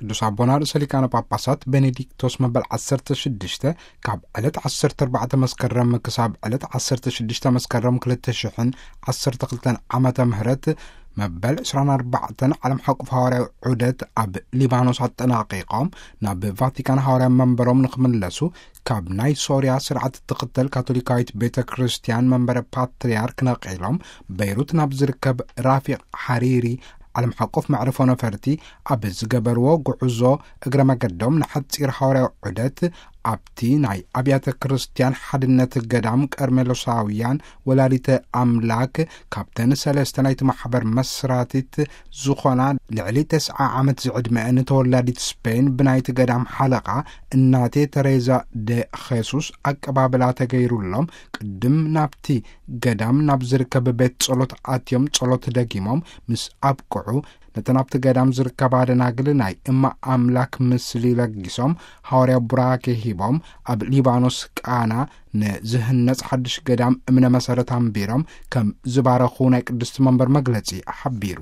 ቅዱስ ኣቦና ርእሰ ሊቃነ ጳጳሳት ቤኔዲክቶስ መበል ዓሰርተ ሽዱሽተ ካብ ዕለት ዓሰርተ ኣርባዕተ መስከረም ክሳብ ዕለት ዓሰርተ ሽዱሽተ መስከረም ክልተ ሽሕን ዓሰርተ ክልተን ዓመተ ምህረት መበል ዕስራን ኣርባዕተን ዓለም ሓቁፍ ሃዋርያዊ ዑደት ኣብ ሊባኖስ ኣጠናቒቖም ናብ ቫቲካን ሃዋርያ መንበሮም ንክምለሱ ካብ ናይ ሶርያ ስርዓት እትኽተል ካቶሊካዊት ቤተ ክርስቲያን መንበረ ፓትርያርክ ነቒሎም በይሩት ናብ ዝርከብ ራፊቕ ሓሪሪ ዓለም ሓቆፍ መዕርፎ ነፈርቲ ኣብ ዝገበርዎ ጉዕዞ እግረ መገዶም ንሓጺር ሃዋርያዊ ዑደት ኣብቲ ናይ ኣብያተ ክርስቲያን ሓድነት ገዳም ቀርሜሎሳውያን ወላዲተ ኣምላክ ካብተን ሰለስተ ናይቲ ማሕበር መስራቲት ዝኾና ልዕሊ ተስዓ ዓመት ዝዕድመአን ተወላዲት ስፔን ብናይቲ ገዳም ሓለቓ እናቴ ተሬዛ ደ ኼሱስ ኣቀባብላ ተገይሩሎም ቅድም ናብቲ ገዳም ናብ ዝርከብ ቤት ጸሎት ኣትዮም ጸሎት ደጊሞም ምስ ኣብቅዑ ነተን ኣብቲ ገዳም ዝርከባ ደናግል ናይ እማ ኣምላክ ምስሊ ለጊሶም ሃዋርያ ቡራኬ ሂቦም ኣብ ሊባኖስ ቃና ንዝህነጽ ሓድሽ ገዳም እምነ መሰረት ኣንቢሮም ከም ዝባረኹ ናይ ቅድስቲ መንበር መግለጺ ሓቢሩ።